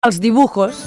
Els dibujos.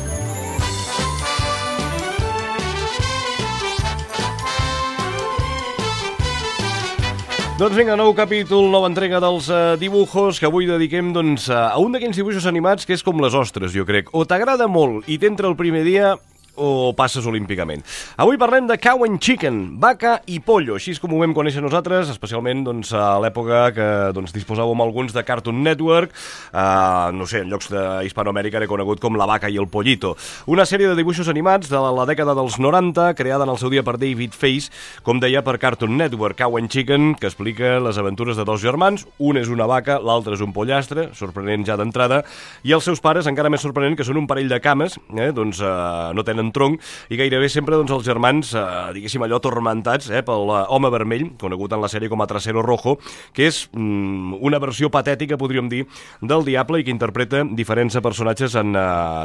Doncs vinga, nou capítol, nova entrega dels dibujos, que avui dediquem a un d'aquells dibuixos animats que és com les ostres, jo crec. O t'agrada molt i t'entra el primer dia o passes olímpicament. Avui parlem de Cow and Chicken, vaca i pollo, així és com ho vam conèixer nosaltres, especialment a l'època que disposàvem alguns de Cartoon Network, no sé, en llocs d'Hispanoamèrica era conegut com La vaca i el pollito. Una sèrie de dibuixos animats de la dècada dels 90, creada en el seu dia per David Face, com deia, per Cartoon Network. Cow and Chicken, que explica les aventures de dos germans, un és una vaca, l'altre és un pollastre, sorprenent ja d'entrada, i els seus pares, encara més sorprenent, que són un parell de cames, no tenen tronc, i gairebé sempre els germans, diguéssim allò, tormentats pel home vermell, conegut en la sèrie com a Trasero Rojo, que és una versió patètica, podríem dir, del Diable i que interpreta diferents personatges en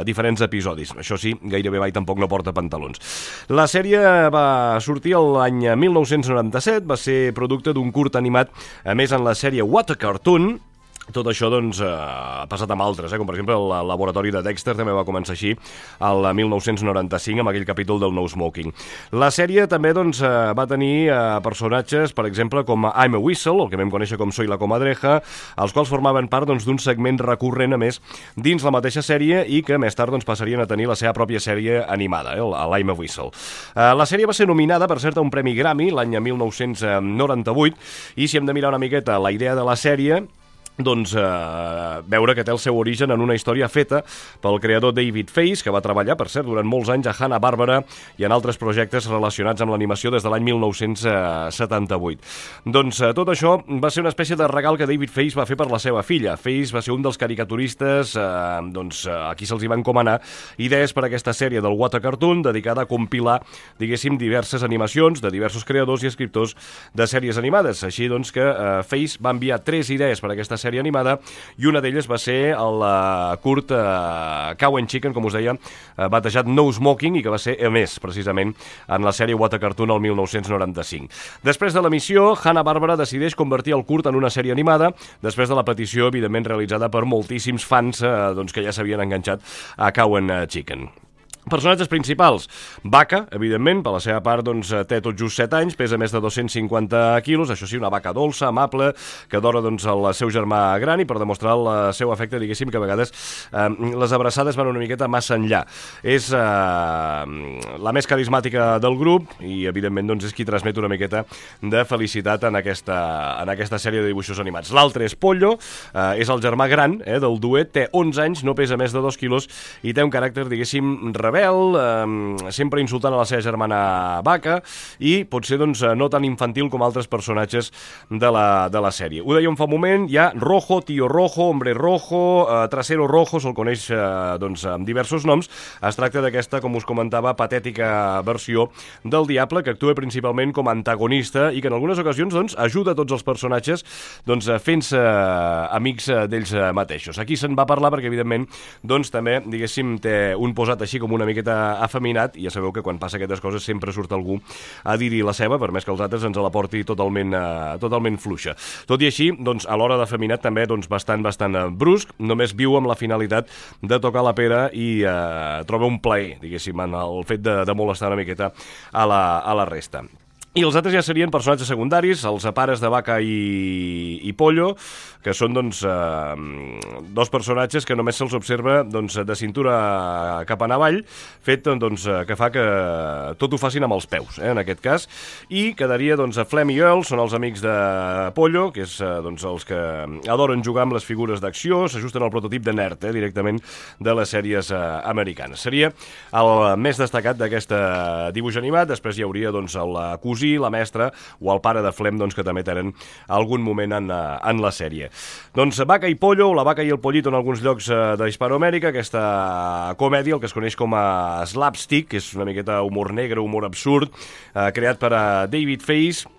diferents episodis. Això sí, gairebé mai tampoc no porta pantalons. La sèrie va sortir l'any 1997, va ser producte d'un curt animat, a més en la sèrie What a Cartoon. Tot això, ha passat amb altres, com per exemple el laboratori de Dexter també va començar així el 1995 amb aquell capítol del No Smoking. La sèrie també va tenir personatges, per exemple, com I'm a Whistle, el que vam conèixer com Soy la Comadreja, els quals formaven part d'un segment recurrent, a més, dins la mateixa sèrie i que més tard passarien a tenir la seva pròpia sèrie animada, l'I'm a Whistle. La sèrie va ser nominada, per cert, a un premi Grammy l'any 1998 i si hem de mirar una miqueta la idea de la sèrie, veure que té el seu origen en una història feta pel creador David Face, que va treballar, per cert, durant molts anys a Hanna-Barbera i en altres projectes relacionats amb l'animació des de l'any 1978. Tot això va ser una espècie de regal que David Face va fer per la seva filla. Face va ser un dels caricaturistes a qui se'ls hi van encomanar idees per a aquesta sèrie del What a Cartoon, dedicada a compilar, diguéssim, diverses animacions de diversos creadors i escriptors de sèries animades. Així que Face va enviar 3 idees per a aquesta sèrie animada i una d'elles va ser el curt Cow and Chicken, com us deia, batejat No Smoking, i que va ser emès precisament en la sèrie What a Cartoon el 1995. Després de l'emissió, Hanna-Barbera decideix convertir el curt en una sèrie animada, després de la petició, evidentment, realitzada per moltíssims fans que ja s'havien enganxat a Cow and Chicken. Personatges principals. Vaca, evidentment, per la seva part té tot just 7 anys, pesa més de 250 quilos, això sí, una vaca dolça, amable, que adora el seu germà gran, i per demostrar el seu afecte, diguéssim que a vegades les abraçades van una miqueta massa enllà. És la més carismàtica del grup i, evidentment, és qui transmet una miqueta de felicitat en aquesta sèrie de dibuixos animats. L'altre és Pollo, és el germà gran del duet, té 11 anys, no pesa més de 2 quilos i té un caràcter, diguéssim, rebel, sempre insultant a la seva germana vaca i potser no tan infantil com altres personatges de la sèrie. Ho dèiem fa un moment, hi ha Rojo, Tío Rojo, Hombre Rojo, Trasero Rojo, se'l coneix amb diversos noms. Es tracta d'aquesta, com us comentava, patètica versió del Diable, que actua principalment com a antagonista i que en algunes ocasions ajuda tots els personatges fent-se amics d'ells mateixos. Aquí se'n va parlar perquè, evidentment, també, diguéssim, té un posat així com una miqueta afeminat, i ja sabeu que quan passa aquestes coses sempre surt algú a dir-hi la seva, per més que els altres ens la porti totalment fluixa. Tot i així, a l'hora d'afeminat també bastant brusc, només viu amb la finalitat de tocar la pera i troba un plaer, diguéssim, en el fet de molestar una miqueta a la resta. I els altres ja serien personatges secundaris, els pares de Vaca i Pollo, que són dos personatges que només se'ls observa de cintura cap en avall, fet que fa que tot ho facin amb els peus, en aquest cas, i quedaria Flem i Earl, són els amics de Pollo, que és els que adoren jugar amb les figures d'acció, s'ajusten al prototip de nerd, directament de les sèries americanes. Seria el més destacat d'aquest dibuix animat. Després hi hauria el cosí, la mestra o el pare de Flem, que també tenen algun moment en la sèrie. Vaca i Pollo, o La vaca i el pollito en alguns llocs d'Hispanoamèrica, aquesta comèdia, el que es coneix com a slapstick, que és una miqueta humor negre, humor absurd, creat per David Face,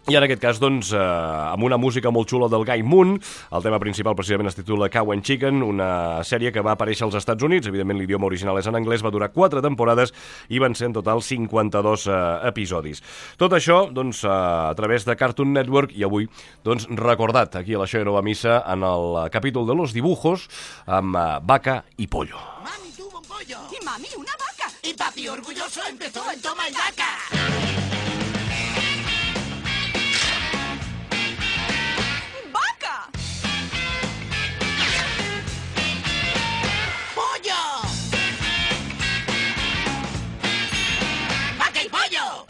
i en aquest cas, amb una música molt xula del Guy Moon. El tema principal precisament es titula Cow and Chicken, una sèrie que va aparèixer als Estats Units, evidentment l'idioma original és en anglès, va durar 4 temporades i van ser en total 52 episodis. Tot això, a través de Cartoon Network, i avui, recordat aquí a la Això ja no va a missa, en el capítol de los dibujos, amb Vaca i Pollo. tuvo un pollo. Y mami, una vaca. Y papi orgulloso empezó el toma y daca. ¡Vaca! ¡Pollo! ¡Vaca y pollo!